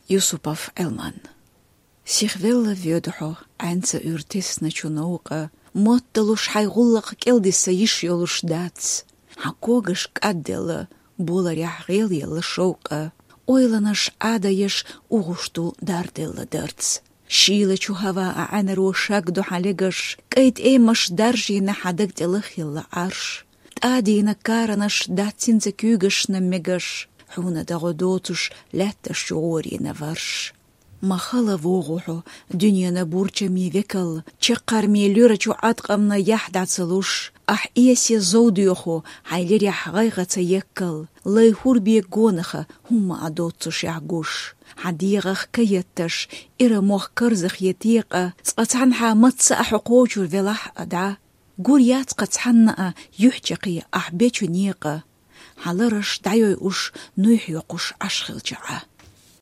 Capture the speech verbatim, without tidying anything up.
Юсупов Ӏилман. Сихвелла веда хьо, Ӏянца уьр тесна чу новкъа, мотталуш хьай гӀуллакх кӀелдиса йиш йолуш дац. Хьан когаш кӀадделла, боларехь гӀелъелла шовкъа, ойланаш Ӏадаеш угӀуш ду дарделла дарц. Шийла чу хӀава а Ӏаьнаро шагду хьан легаш, кӀай тӀемаш даржийна хьан даг тӀе лахъелла Ӏарш. ТӀадийна каранаш дац цинца куьйгашна мегаш, хьуна дагӀо доцуш лаьтташ чу гӀорийна варш. Ма хала вогӀу хьо, дуьненан бурчамийн векал, чаккхармийн луьра чу Ӏаткъамна яхь дӀа ца луш, ахь эсе зов доьху, хьайн лерехь гӀайгӀа ца еккал, лай хӀур бе гонаха хӀумма а доццушехь гуш. Хьан дегӀах ка етташ, ира мох карзахъе текъа, цкъа цхьанхьа мацца а хьо кхочур велахь а дӀа, гур яц кху цхьанна а юьхь чаккхе ахь бечу некъа. Хьан лараш дӀайойуш, нуй хьоькхуш Ӏаш хилча Ӏа.